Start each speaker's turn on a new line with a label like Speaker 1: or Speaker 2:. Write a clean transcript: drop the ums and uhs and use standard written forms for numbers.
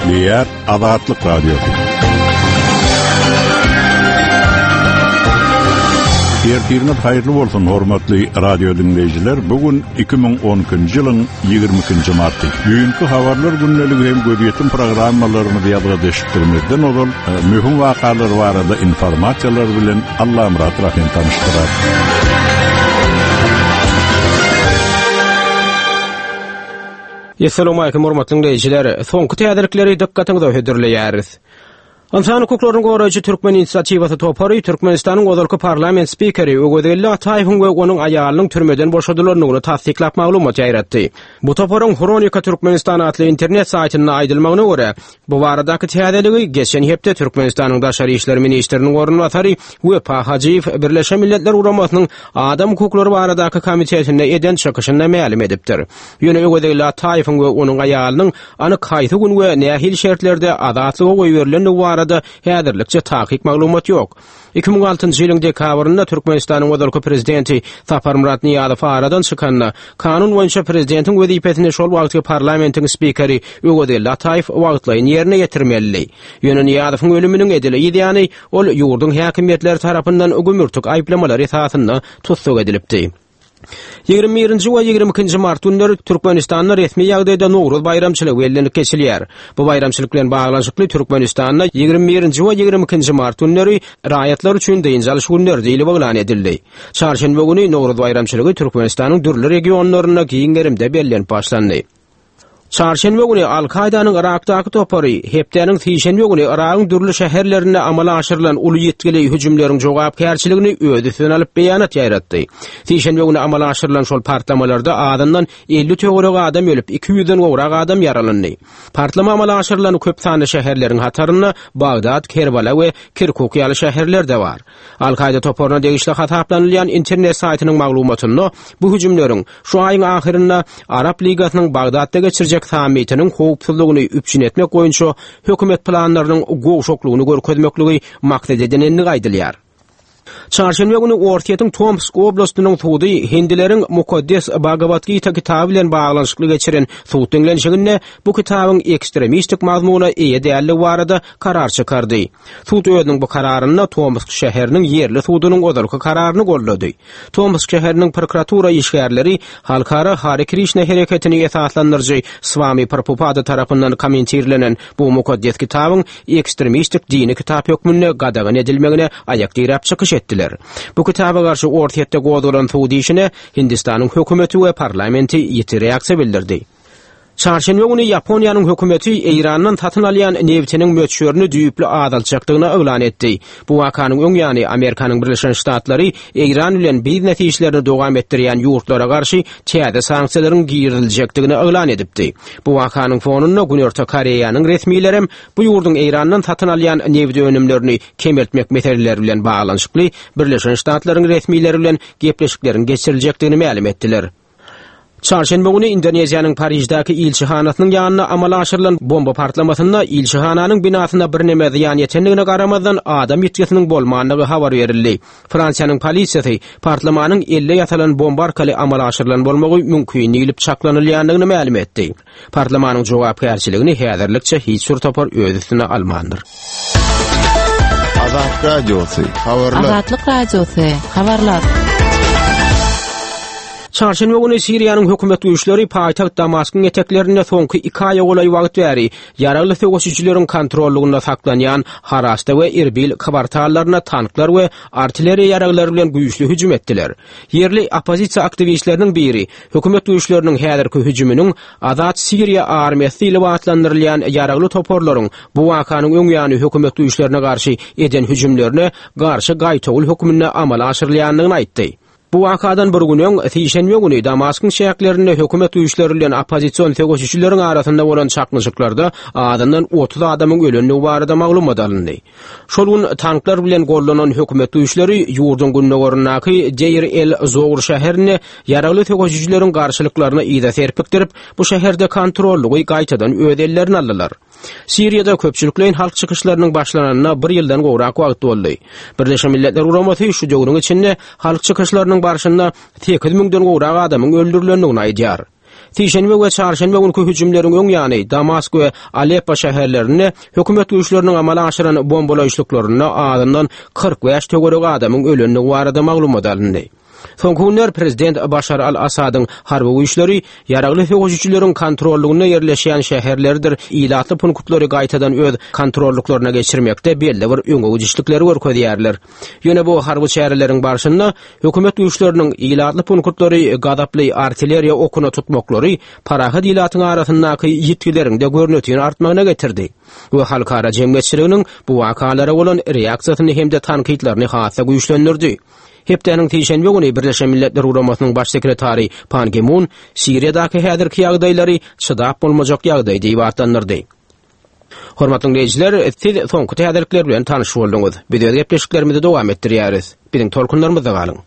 Speaker 1: Gepleýär Azatlyk Radiosy. Ertiriňiz haýyrly bolsun, hormatly radio diňleýjiler. Bu gün 2012-nji ýylyň 22-nji marty. Düýnki habarlar gündeligi hem gözýetim programmalarymyzy ýazga eşitdirmezden ozal, e, möhüm wakalar barada informasiýalar bilen Allamyrat Rahym tanyşdyrar.
Speaker 2: Essalawmalikim hormatly diňleýjiler! Soňky täzelikleri dykgatyňyza hödürleýäris. Ynsan hukuklaryny goraýjy Türkmen inisiatiwasy topary Türkmenistanyň ozalky parlament spikeri Öwezgeldi Ataýewiň we onuň aýalynyň türmeden boşadylandygyny tassyklap maglumat ýaýratdy. Bu toparyň Hronika Türkmenistan atly internet saýtynda aýdylmagyna görä, Bu baradaky täzeligi geçen hepde Türkmenistanyň Daşary işler ministriniň orunbasary Wepa Hajyýew Birleşen Milletler Guramasynyň Adam hukuklary baradaky komitetinde eden çykyşynda mälim edipdir. Ýöne Öwezgeldi Ataýewiň we onuň aýalynyň anyk haýsy gün we nähili şertlerde azatlyga goýberilendigi barada häzirlikçe takyk maglumat ýok. 2006-njy ýylyň dekabrynda Türkmenistanyň ozalky prezidenti Saparmyrat Nyýazow aradan çykanda, kanun boýunça prezidentiň wezipesini şol wagtky parlamentiň spikeri Öwezgeldi Ataýew wagtlaýyn ýerine ýetirmelidi. Ýöne Nyýazowyň ölüminiň edil yz ýany, ol ýurduň häkimiýetleri tarapyndan gümürtik aýyplamalar esasynda tussag edilipdi. 21-nji we 22-nji mart günleri Türkmenistanda resmi ýagdaýda Nowruz baýramçylygy bellenip geçilýär. Bu baýramçylyk bilen baglanyşykly Türkmenistanda 21-nji we 22-nji mart günleri raýatlar üçin dynç alyş günleri diýlip yglan edildi. Çarşenbe güni Nowruz baýramçylygy Türkmenistanyň dürli regionlarynda giň gerimde bellenip başlandy. Çarşenbe güni Al-Kaýdanyň Yrakdaky topary hepdäniň sişenbe güni Yragyň dürli şäherlerinde amala aşyrylan uly ýitgili hüjümleriň jogapkärçiligini öz üstüne alyp beýanat ýaýratdy. Sişenbe güni amala aşyrylan şol partlamalarda azyndan 50 töweregi adam ölüp, 200-den gowrak adam ýaralandy. Partlama amala aşyrylan köp sanly şäherleriň hatarynda Bagdat, Kerbala we Kirkuk ýaly şäherler-de bar. Al-Kaýda toparyna degişli hasaplanylýan internet saýtynyň maglumatynda bu hüjümleriň şu aýyň ahyrynda Arap Ligasynyň Bagdatda geçirjek sammitiniň howpsuzlygyny üpjün etmek boýunça hökümet planlarynyň gowşaklygyny görkezmekligi maksat edinendigi aýdylýar. Çarşenbe güni Orsýetiň Tomsk oblastynyň sudy hindileriň mukaddes Bhagavad-Gita kitaby bilen baglanyşykly geçiren sud diňlenişiginde bu kitabyň ekstremistik mazmuna eýe däldigi barada karar çykardy. Sud özüniň bu kararynda Tomsk şäheriniň ýerli sudunyň ozalky kararyny goldady. Tomsk şäheriniň prokuratura işgärleri Halkara Hare Krişna hereketini esaslandyryjy Swami Prabhupada tarapyndan kommentirlenen bu mukaddes kitabyň ekstremistik dini kitap hökmünde gadagan edilmegine aýak diräp çykyş etdiler. Bu kitaba garşy Orsýetde gozgalan sud işine Hindistanyň hökümeti we parlamenti ýiti reaksiýa bildirdi. Çarşenbe güni Ýaponiýanyň hökümeti Eýrandan satyn alýan nebtiniň möçberini düýpli azaltjakdygyny yglan etdi. Bu wakanyň öň ýany Amerikanyň Birleşen Ştatlary Eýran bilen biznes işlerini dowam etdirýän ýurtlara garşy täze sanksiýalaryň giriziljekdigini yglan edipdi. Bu wakanyň fonunda Günorta Koreýanyň resmilerem bu ýurduň Eýrandan satyn alýan nebit önümlerini kemeltmek meseleleri bilen baglanyşykly Birleşen Ştatlaryň resmileri bilen gepleşikleriň geçiriljekdigini mälim etdiler. Çarşenbe güni Indoneziýanyň Pariždäki ilçihanasynyň ýanynda amala aşyrylan bomba partlamasynda ilçihananyň binasyna birneme zyýan ýetendigine garamazdan, adam ýitgisiniň bolmandygy habar berildi. Fransiýanyň polisiýasy partlamanyň elde ýasalan bomba arkaly amala aşyrylan bolmagy mümkin diýlip çaklanylýandygyny mälim etdi. Partlamanyň jogapkärçiligini häzirlikçe hiç bir topar öz üstüne almandyr.
Speaker 1: Azat Radiosy, habarlar.
Speaker 3: Azatlyk Radiosy, habarlar.
Speaker 2: Çarşenbe güni Siriýanyň hökümet güýçleri paýtagt Damaskyň eteklerinde soňky iki aýa golaý wagt bäri ýaragly söweşijileriň kontrollygynda saklanýan Harasta we Irbil kwartallaryna tanklar we artilleriýa ýaraglary bilen güýçli hüjüm etdiler. Ýerli oppozisiýa aktiwistleriniň biri Hökümet güýçleriniň häzirki hüjüminiň Azat Siriýa armiýasy diýlip atlandyrylýan ýaragly toparlaryň bu wakanyň öň ýany hökümet güýçlerine garşy eden hüjümlerine garşy gaýtawul hökmünde amala aşyrylýandygyny aýtdy. Bu wakadan bir gün öň, sişenbe güni Damaskyň çäklerinde hökümet güýçleri bilen oppozision söweşijileriň arasynda bolan çaknyşyklarda azyndan 30 adamyň ölendigi barada maglumat alyndy. Şol gün tanklar bilen gollanan hökümet güýçleri ýurduň gündogaryndaky Deir-el-Zour şäherinde ýaragly söweşijileriň garşylyklaryny yza serpikdirip, bu şäherde kontrollygy gaýtadan öz ellerine aldylar. Siriýada köpçülikleýin halk çykyşlarynyň başlananyna bir ýyldan gowrak wagt boldy. Birleşen Milletler Guramasy şu döwrüň içinde halk çykyşlarynyň barşynda sekiz müňden gowrak adamyň öldürilendigini aýdýar. Sişenbe we çarşenbe günki hüjümleriň öň ýany Damask we Aleppo şäherlerinde hökümet güýçleriniň amala aşyran bombalaýyşlyklarynda azyndan 45 töweregi adamyň ölendigi barada maglumat alyndy. Soňky günler prezident Başar al-Assadyň harby güýçleri ýaragly söweşijileriň kontrollygynda ýerleşýän şäherleridir ilatly punktlary gaýtadan öz kontrollyklaryna geçirmekde belli bir öňe gidişlikleri görkezýärler. Ýöne bu harby çäreleriň barşynda hökümet güýçleriniň ilatly punktlary gazaply artilleriýa okuna tutmaklary parahat ilatyň arasyndaky ýitgileriň-de görnetin artmagyna getirdi we halkara jemgyýetçiliginiň bu wakalara bolan reaksiýasyny hem-de tankytlaryny has-da güýçlendirdi. Hepdäniň sişenbe güni Birleşen Milletler Guramasynyň Baş sekretary Pan Gi Mun Siriýadaky häzirki ýagdaýlary çydap bolmajak ýagdaý diýip atlandyrdy. Hormatly diňleýjiler, siz soňky täzelikler bilen tanyş bolduňyz. Biz öz gepleşiklerimizi dowam etdirýäris. Biziň tolkunlarymyzda galyň.